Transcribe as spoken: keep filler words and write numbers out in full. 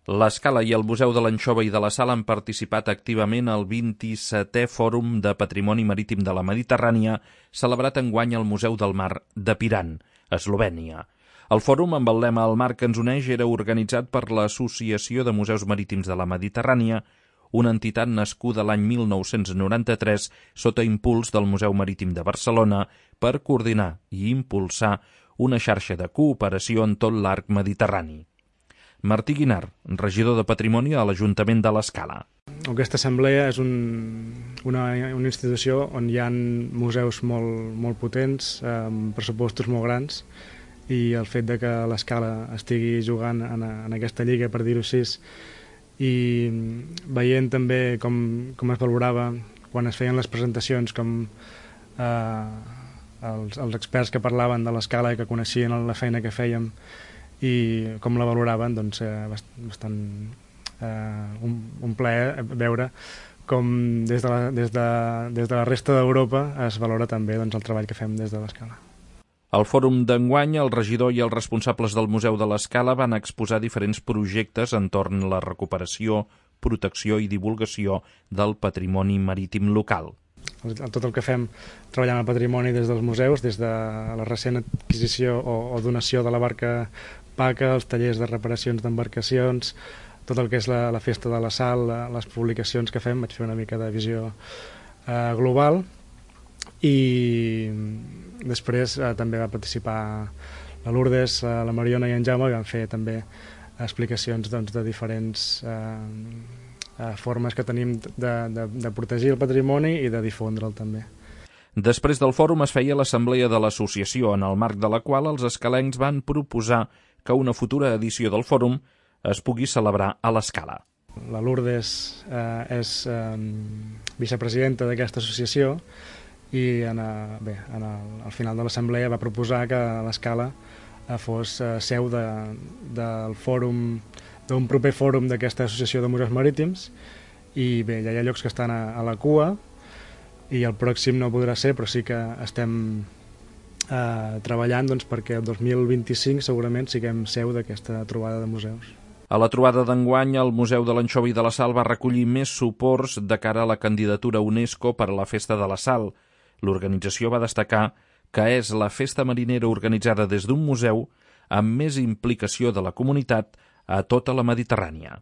L'Escala i el Museu de l'Anxova i de la Sal han participat activament al vint-i-setè Fòrum de Patrimoni Marítim de la Mediterrània, celebrat enguany al Museu del Mar de Piran, Eslovènia. El fòrum, amb el lema El mar que ens uneix, era organitzat per l'Associació de Museus Marítims de la Mediterrània, una entitat nascuda l'any mil nou-cents noranta-tres sota impuls del Museu Marítim de Barcelona per coordinar i impulsar una xarxa de cooperació en tot l'arc mediterrani. Martí Guinart, regidor de Patrimoni a l'Ajuntament de l'Escala. Aquesta assemblea és un, una, una institució on hi ha museus molt, molt potents, amb pressupostos molt grans, i el fet de que l'Escala estigui jugant en, en aquesta lliga, per dir-ho així, i veient també com, com es valorava quan es feien les presentacions, com eh, els, els experts que parlaven de l'Escala i que coneixien la feina que fèiem i com la valoraven, doncs eh, bastant eh, un, un plaer veure com des de la, des de, des de la resta d'Europa es valora també doncs, el treball que fem des de l'Escala. Al fòrum d'enguany, el regidor i els responsables del Museu de l'Escala van exposar diferents projectes entorn la recuperació, protecció i divulgació del patrimoni marítim local. Tot el que fem treballant el patrimoni des dels museus, des de la recent adquisició o, o donació de la barca Paca, els tallers de reparacions d'embarcacions, tot el que és la, la festa de la sal, les publicacions que fem, vaig fer una mica de visió eh, global, i després eh, també va participar la Lourdes, eh, la Mariona i en Jaume, i van fer també explicacions doncs, de diferents eh, eh, formes que tenim de, de, de protegir el patrimoni i de difondre'l també. Després del fòrum es feia l'assemblea de l'associació, en el marc de la qual els escalencs van proposar que una futura edició del fòrum es pugui celebrar a l'Escala. La Lourdes eh, és eh, vicepresidenta d'aquesta associació i en, a, bé, en el, al final de l'assemblea va proposar que l'Escala eh, fos eh, seu de, del fòrum, d'un proper fòrum d'aquesta associació de museus marítims, i bé, ja hi ha llocs que estan a, a la cua i el pròxim no podrà ser, però sí que estem eh, treballant doncs, perquè el dos mil vint-i-cinc segurament siguem seu d'aquesta trobada de museus. A la trobada d'enguany, el Museu de l'Anxova i de la Sal va recollir més suports de cara a la candidatura UNESCO per a la Festa de la Sal. L'organització va destacar que és la festa marinera organitzada des d'un museu amb més implicació de la comunitat a tota la Mediterrània.